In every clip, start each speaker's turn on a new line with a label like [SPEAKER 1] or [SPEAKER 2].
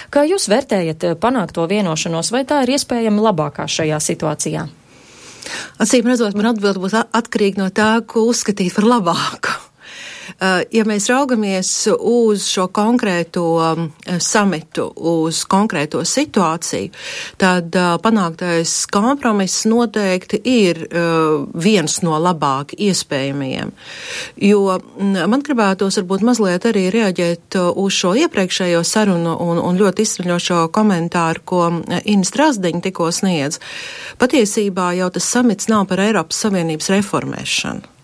[SPEAKER 1] Kā jūs vērtējat panākto vienošanos, vai tā ir iespējami labākā šajā situācijā?
[SPEAKER 2] Acīm redzot, man atbilde būs atkarīga no tā, ko uzskatīt par labāku. Ja mēs raugamies uz šo konkrēto samitu, uz konkrēto situāciju, tad panāktais kompromiss noteikti ir viens no labāk iespējamajiem. Jo man gribētos varbūt mazliet arī reaģēt uz šo iepriekšējo sarunu un ļoti izsmeļošo komentāru, ko Ina Strasdiņa tikko sniedz. Patiesībā jau tas samits nav par Eiropas Savienības reformēšanu.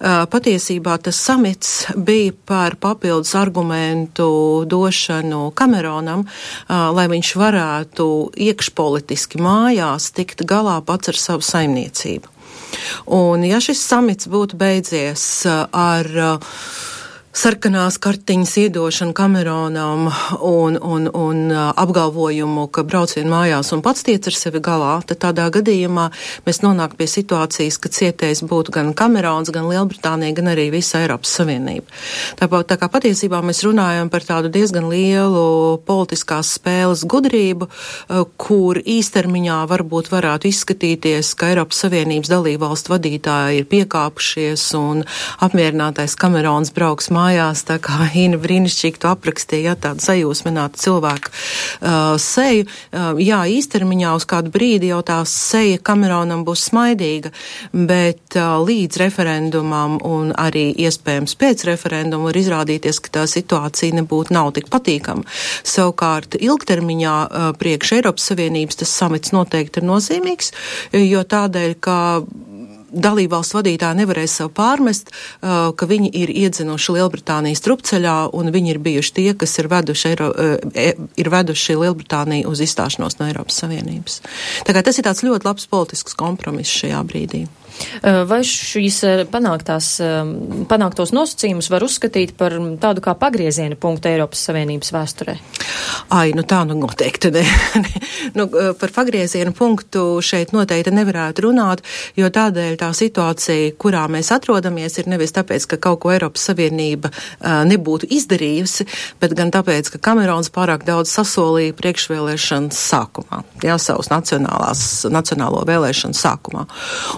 [SPEAKER 2] Patiesībā tas samits bija par papildus argumentu došanu Kameronam, lai viņš varētu iekšpolitiski mājās tikt galā pats ar savu saimniecību. Un ja šis samits būtu beidzies ar sarkanās kartiņas iedošanu Kameronam un apgalvojumu, ka brauc vien mājās un pats tiec ar sevi galā, tad tādā gadījumā mēs nonāk pie situācijas, ka cietējs būtu gan Kamerons, gan Lielbritānija, gan arī visa Eiropas Savienība. Tā kā patiesībā mēs runājam par tādu diezgan lielu politiskās spēles gudrību, kur īstermiņā varbūt varētu izskatīties, ka Eiropas Savienības dalībvalstu vadītāji ir piekāpušies un apmierinātais Kamerons brauks mājās, tā kā Ina brīnišķīgi to aprakstīja, tādu sajūsminātu cilvēku seju. Jā, īstermiņā uz kādu brīdi jau tā seja Kameronam būs smaidīga, bet līdz referendumam un arī iespējams pēc referenduma var izrādīties, ka tā situācija nav tik patīkama. Savukārt ilgtermiņā priekš Eiropas Savienības tas samits noteikti ir nozīmīgs, jo tādēļ, ka dalībvalstu vadītāji nevarēs sev pārmest, ka viņi ir iedzinuši Lielbritānijas trupceļā un viņi ir bijuši tie, kas ir veduši Lielbritāniju uz izstāšanos no Eiropas Savienības. Tā kā tas ir tāds ļoti labs politisks kompromiss šajā brīdī.
[SPEAKER 1] Vai šīs panāktos nosacījumus var uzskatīt par tādu kā pagrieziena punktu Eiropas Savienības vēsturē?
[SPEAKER 2] Tā noteikti ne. Par pagrieziena punktu šeit noteikti nevarētu runāt, jo tādēļ tā situācija, kurā mēs atrodamies, ir nevis tāpēc, ka kaut ko Eiropas Savienība nebūtu izdarījusi, bet gan tāpēc, ka Kamerons pārāk daudz sasolīja priekšvēlēšanas sākumā, savus nacionālo vēlēšanu sākumā.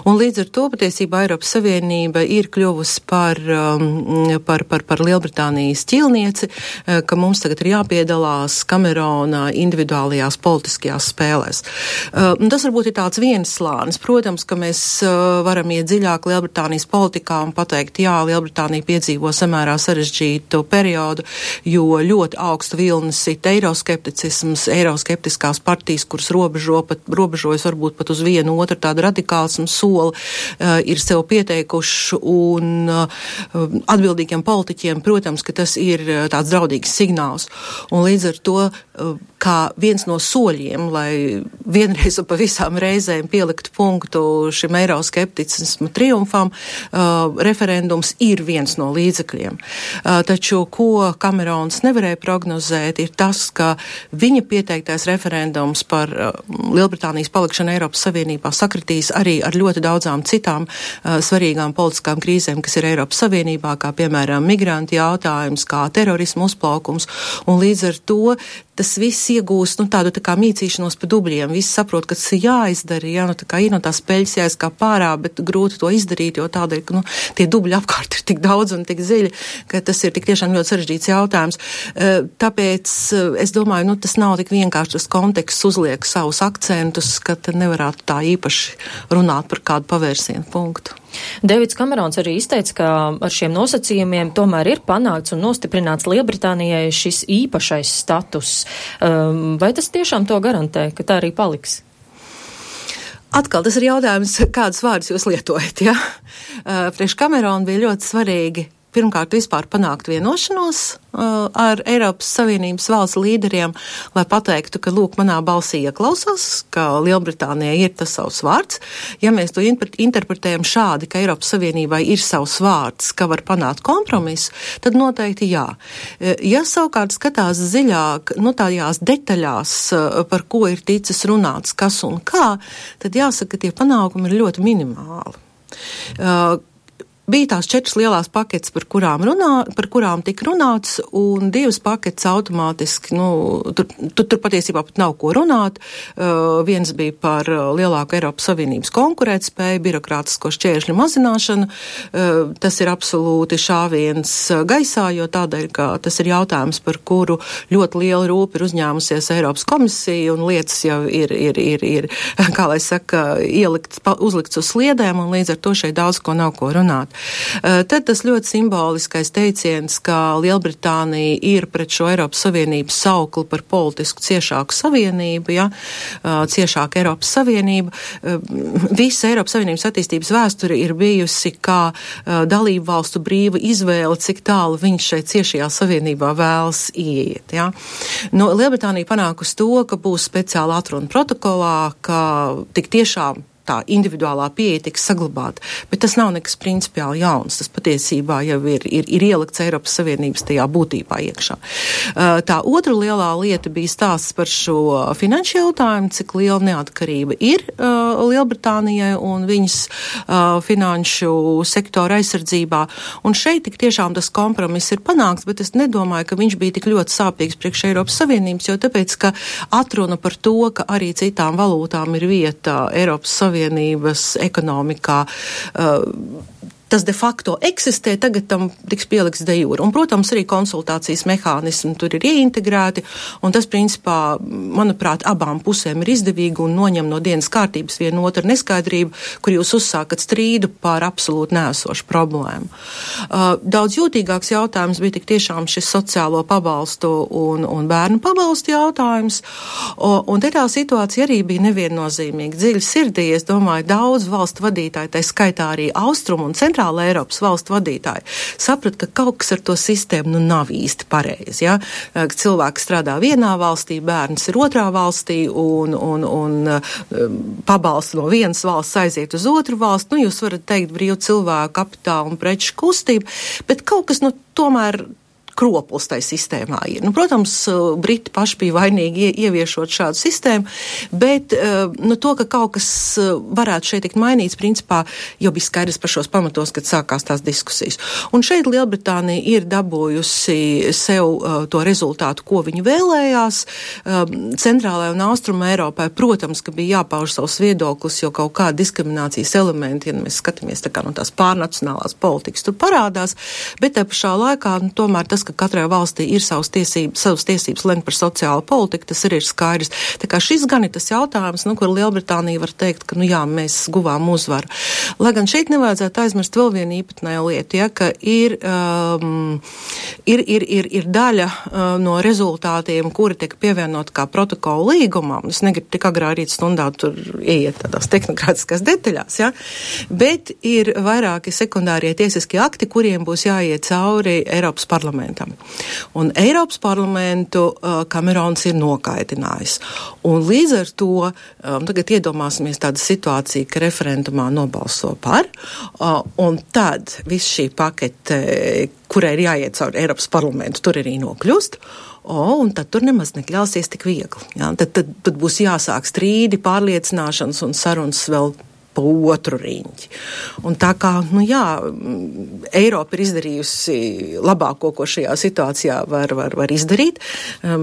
[SPEAKER 2] Un līdz ar to patiesībā Eiropas Savienība ir kļuvusi par Lielbritānijas ķīlnieci, ka mums tagad ir jāpiedalās Kamerona individuālajās politiskajās spēlēs. Tas varbūt ir tāds viens slānis. Protams, ka mēs varam iet dziļāk Lielbritānijas politikā un pateikt, jā, Lielbritānija piedzīvo samērā sarežģītu periodu, jo ļoti augstu vilni sit eiroskepticisms, eiroskeptiskās partijas, kuras robežojas varbūt pat uz vienu otru tādu radikālismu soli, ir sev pieteikuši un atbildīgiem politiķiem, protams, ka tas ir tāds draudīgs signāls. Un līdz ar to, kā viens no soļiem, lai vienreiz un pa visām reizēm pieliktu punktu šim eiroskepticismu triumfam, referendums ir viens no līdzekļiem. Taču, ko Kamerons nevarēja prognozēt, ir tas, ka viņa pieteiktais referendums par Lielbritānijas palikšanu Eiropas Savienībā sakritīs arī ar ļoti daudzām citām svarīgām politiskām krīzēm, kas ir Eiropas Savienībā, kā piemēram migranti jautājums, kā terorismu uzplaukums, un līdz ar to tas viss iegūst tādu tā kā mīcīšanos pa dubļiem. Visi saprot, ka tas ir jāizdara, tā kā ir no tās peļas jāizkāp pārā, bet grūti to izdarīt, jo tādēļ, ka tie dubļi apkārt ir tik daudz un tik dziļi, ka tas ir tik tiešām ļoti sarežģīts jautājums. Tāpēc es domāju, tas nav tik vienkārši tas konteksts uzliek savus akcentus, ka nevarētu tā īpaši runāt par kādu pavērsienu punktu.
[SPEAKER 1] Deivids Kamerons arī izteica, ka ar šiem nosacījumiem tomēr ir panākts un nostiprināts Lielbritānijai šis īpašais status. Vai tas tiešām to garantē, ka tā arī paliks?
[SPEAKER 2] Atkal tas ir jautājums, kādus vārdus jūs lietojat, ja? Priekš Kamerona bija ļoti svarīgi pirmkārt vispār panākt vienošanos ar Eiropas Savienības valsts līderiem, lai pateiktu, ka, lūk, manā balsī ieklausās, ka Lielbritānijai ir tas savs vārds. Ja mēs to interpretējam šādi, ka Eiropas Savienībai ir savs vārds, ka var panākt kompromisu, tad noteikti jā. Ja savukārt skatās dziļāk, tādās detaļās, par ko ir ticis runāts, kas un kā, tad jāsaka, ka tie panākumi ir ļoti minimāli. bija tās 4 lielās paketes, par kurām tika runāts, un 2 paketes automātiski, tur patiesībā pat nav ko runāt. Viens bija par lielāku Eiropas Savienības konkurētspēju, birokrātisko šķēršļu mazināšanu. Tas ir absolūti šāviens gaisā, jo tādēļ, ka tas ir jautājums, par kuru ļoti liela rūpa ir uzņēmusies Eiropas komisija, un lietas jau ir kā lai saka, uzlikts uz sliedēm, un līdz ar to šeit daudz ko nav ko runāt. Tad tas ļoti simboliskais teiciens, ka Lielbritānija ir pret šo Eiropas Savienības saukli par politisku ciešāku savienību, ciešāku Eiropas Savienību. Visa Eiropas Savienības attīstības vēsture ir bijusi kā dalību valstu brīva izvēle, cik tālu viņš šeit ciešajā savienībā vēlas ieiet. Ja? Lielbritānija panākusi to, ka būs speciāla atruna protokolā, ka tik tiešām tā individuālā pieeja tiks saglabāta, bet tas nav nekas principiāli jauns. Tas patiesībā jau ir ielikts Eiropas Savienības tajā būtībā iekšā. Tā otra lielā lieta bija stāsts par šo finanšu jautājumu, cik liela neatkarība ir Lielbritānijai un viņas finanšu sektora aizsardzībā. Un šeit tik tiešām tas kompromiss ir panākts, bet es nedomāju, ka viņš bija tik ļoti sāpīgs priekš Eiropas Savienības, jo tāpēc, ka atruna par to, ka arī citām valūtām ir vieta Eiropas Savienības ekonomikā, tas de facto eksistē, tagad tam tiks pielikts de jure. Un, protams, arī konsultācijas mehānismi tur ir ieintegrēti, un tas, principā, manuprāt, abām pusēm ir izdevīgi un noņem no dienas kārtības vienu otru neskaidrību, kur jūs uzsākat strīdu par absolūti neesošu problēmu. Daudz jūtīgāks jautājums bija tik tiešām šis sociālo pabalstu un bērnu pabalstu jautājums, un te tā situācija arī bija neviennozīmīga. Dziļi sirdī, es domāju, daudz valstu vadītāji, tā skaitā arī Austrumu un Centrāla Eiropas valstu vadītāji, saprat, ka kaut kas ar to sistēmu nav īsti pareizi. Ja? Cilvēks strādā vienā valstī, bērns ir otrā valstī un pabalstu no vienas valsts aiziet uz otru valstu. Jūs varat teikt brīvu cilvēku kapitālu un preču kustību, bet kaut kas tomēr kroplis tai sistēmā ir. Protams, Briti paši bija vainīgi ieviešot šādu sistēmu, bet to, ka kaut kas varētu šeit tikt mainīts, principā jau bija skaidrs par šos pamatos, kad sākās tās diskusijas. Un šeit Lielbritānija ir dabūjusi sev to rezultātu, ko viņi vēlējās. Centrālajai un Austruma Eiropai, protams, ka bija jāpauž savus viedoklis, jo kaut kāda diskriminācijas elementi, ja mēs skatāmies tā kā no tās pārnacionālās politikas, tur parādās, bet tā pašā laikā, tomēr tas, ka katrai valstī ir savas tiesības lemt par sociālo politiku, tas arī ir skaidrs. Tā kā šis gan ir tas jautājums, kur Lielbritānija var teikt, ka, mēs guvām uzvaru. Lai gan šeit nevajadzētu aizmirst vēl vienu īpatnēju lietu, ja, ka ir daļa no rezultātiem, kuri tiek pievienot kā protokola līgumam. Es negribu tik agrā rīt stundā tur ieiet tādās tehnokrātiskās detaļās, ja, bet ir vairāki sekundārie tiesiskie akti, kuriem būs jāiet cauri Eiropas parlamentam. Un Eiropas parlamentu Kamerons ir nokaitinājis. Un līdz ar to tagad iedomāsimies tādu situāciju, ka referendumā nobalso par, un tad viss šī pakete, kurai ir jāiet caur Eiropas parlamentu, tur arī nokļūst. Un tad tur nemaz nekļausies tik viegli. Ja? Tad būs jāsāk strīdi, pārliecināšanas un sarunas vēl pa otru riņķi. Un tā kā, Eiropa ir izdarījusi labāko, ko šajā situācijā var izdarīt,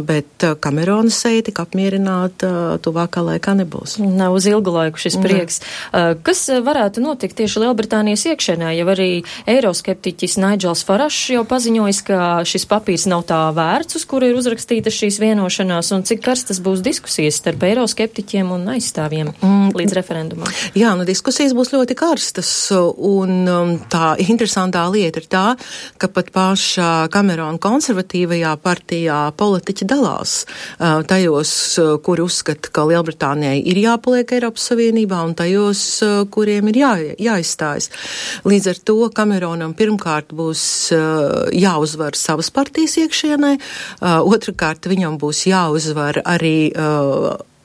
[SPEAKER 2] bet Kamerona seja tik apmierināta tuvākā laikā nebūs.
[SPEAKER 1] Nav uz ilgu laiku šis prieks. Kas varētu notikt tieši Lielbritānijas iekšēnē, ja arī eiroskeptiķis Nigels Farašs jau paziņojis, ka šis papīrs nav tā vērts, uz kuru ir uzrakstītas šīs vienošanās, un cik karstas būs diskusijas starp eiroskeptiķiem un aizstāvjiem līdz referendumam?
[SPEAKER 2] Jā, diskusijas būs ļoti karstas, un tā interesantā lieta ir tā, ka pat pašā Kamerona konservatīvajā partijā politiķi dalās tajos, kuri uzskata, ka Lielbritānijai ir jāpaliek Eiropas Savienībā, un tajos, kuriem ir jāizstājas. Līdz ar to Kameronam pirmkārt būs jāuzvar savas partijas iekšienē, otrkārt viņam būs jāuzvar arī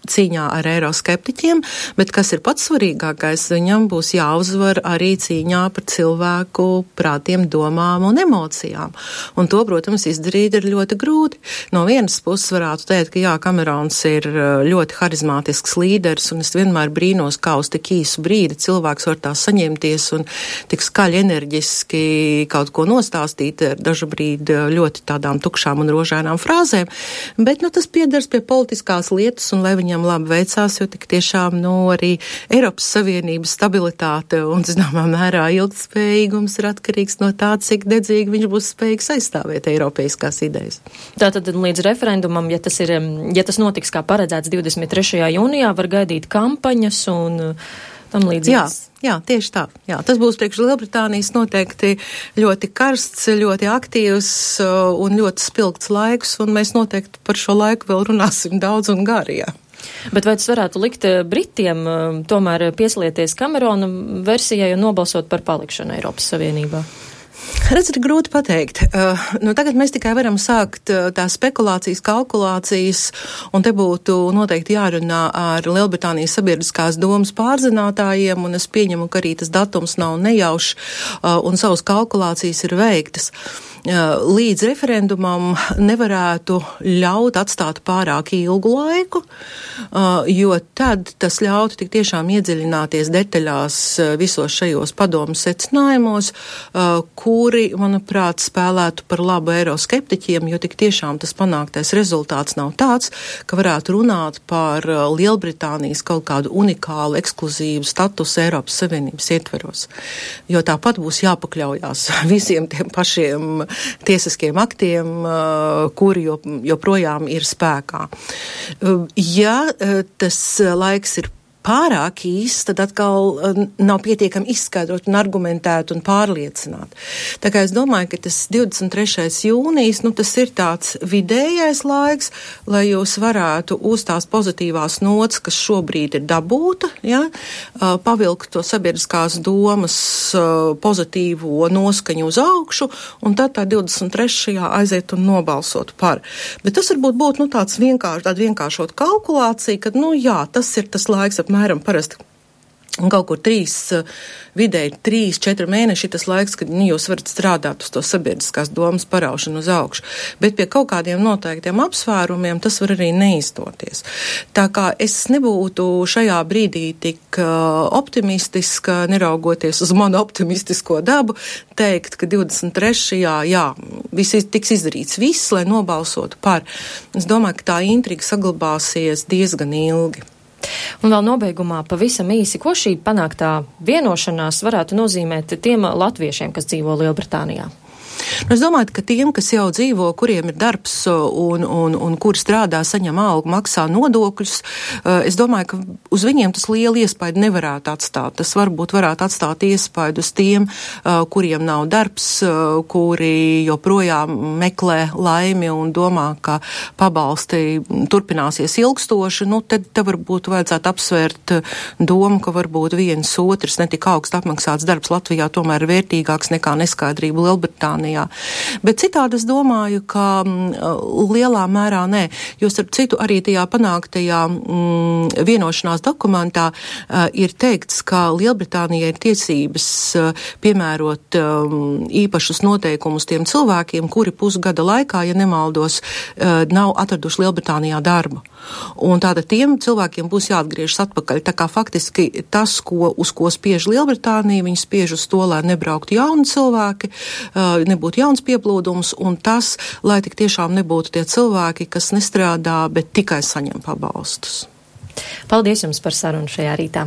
[SPEAKER 2] cīņā ar eiroskeptiķiem, bet kas ir pats svarīgākais, viņam būs jāuzvar arī cīņā par cilvēku prātiem, domām un emocijām. Un to, protams, izdarīt ir ļoti grūti. No vienas puses varētu teikt, ka jā, Kamerons ir ļoti harizmātisks līderis, un es vienmēr brīnos, kā uz tik īsu brīdi cilvēks var tā saņemties un tik skaļi enerģiski kaut ko nostāstīt ar dažu brīdi ļoti tādām tukšām un rožainām frāzēm, bet, tas piedars pie politiskās lietas, un lai viņam labi veicās, jo tik tiešām, arī Eiropas Savienības stabilitāte un, zināmā mērā, ilgtspējīgums ir atkarīgs no tā, cik dedzīgi viņš būs spējīgs aizstāvēt eiropeiskās idejas.
[SPEAKER 1] Tātad līdz referendumam, ja tas notiks kā paredzēts 23. jūnijā, var gaidīt kampaņas un tam līdzīgas.
[SPEAKER 2] Jā, tieši tā. Jā, tas būs priekš Lielbritānijas noteikti ļoti karsts, ļoti aktīvs un ļoti spilgts laiks, un mēs noteikti par šo laiku vēl runāsim daudz un gari, jā.
[SPEAKER 1] Bet vai tas varētu likt Britiem tomēr pieslieties Kamerona versijai un nobalsot par palikšanu Eiropas Savienībā?
[SPEAKER 2] Redz, ir grūti pateikt. Tagad mēs tikai varam sākt tās spekulācijas, kalkulācijas, un te būtu noteikti jārunā ar Lielbritānijas sabiedriskās domas pārzinātājiem, un es pieņemu, ka arī tas datums nav nejaušs, un savas kalkulācijas ir veiktas. Līdz referendumam nevarētu ļaut atstāt pārāk ilgu laiku, jo tad tas ļautu tik tiešām iedziļināties detaļās visos šajos padomu secinājumos, kuri, manuprāt, spēlētu par labu eiroskeptiķiem, jo tik tiešām tas panāktais rezultāts nav tāds, ka varētu runāt par Lielbritānijas kaut kādu unikālu, ekskluzīvu statusu Eiropas Savienības ietveros. Jo tāpat būs jāpakļaujās visiem tiem pašiem tiesiskiem aktiem, kuri joprojām ir spēkā. Ja tas laiks ir pārāk īsts, tad atkal nav pietiekami izskaidrot un argumentēt un pārliecināt. Tā kā es domāju, ka tas 23. jūnijas, tas ir tāds vidējais laiks, lai jūs varētu uz tās pozitīvās nots, kas šobrīd ir dabūta, pavilkt to sabiedriskās domas pozitīvo noskaņu uz augšu, un tad tā 23. aiziet un nobalsot par. Bet tas varbūt būtu tāds vienkāršot kalkulācija, kad, tas ir tas laiks apmēram parasti kaut kur 3-4 mēneši tas laiks, kad jūs varat strādāt uz to sabiedriskās domas paraušanu uz augšu. Bet pie kaut kādiem noteiktiem apsvērumiem tas var arī neizdoties. Tā kā es nebūtu šajā brīdī tik optimistiska, neraugoties uz manu optimistisko dabu, teikt, ka 23. Tiks izdarīts viss, lai nobalsotu par. Es domāju, ka tā intriga saglabāsies diezgan ilgi.
[SPEAKER 1] Un vēl nobeigumā pavisam īsi, ko šī panāktā vienošanās varētu nozīmēt tiem latviešiem, kas dzīvo Lielbritānijā?
[SPEAKER 2] Es domāju, ka tiem, kas jau dzīvo, kuriem ir darbs un kuri strādā, saņem algu, maksā nodokļus, es domāju, ka uz viņiem tas liela iespaidu nevarētu atstāt. Tas varbūt varētu atstāt iespaidu uz tiem, kuriem nav darbs, kuri joprojām meklē laimi un domā, ka pabalsti turpināsies ilgstoši. Tad varbūt vajadzētu apsvērt domu, ka varbūt viens otrs netik augsts apmaksāts darbs Latvijā tomēr ir vērtīgāks nekā neskaidrība Lielbritānijā. Bet citādi es domāju, ka lielā mērā nē, jo starp citu arī tajā panāktajā vienošanās dokumentā ir teikts, ka Lielbritānijai ir tiesības piemērot īpašus noteikumus tiem cilvēkiem, kuri pusgada laikā, ja nemaldos, nav atraduši Lielbritānijā darbu. Un tātad tiem cilvēkiem būs jāatgriežas atpakaļ. Tā kā faktiski tas, uz ko spiež Lielbritānija, viņi spiež uz to, lai nebrauktu jauni cilvēki, nebūtu jauns pieplūdums, un tas, lai tik tiešām nebūtu tie cilvēki, kas nestrādā, bet tikai saņem pabalstus.
[SPEAKER 1] Paldies jums par sarunu šajā rītā.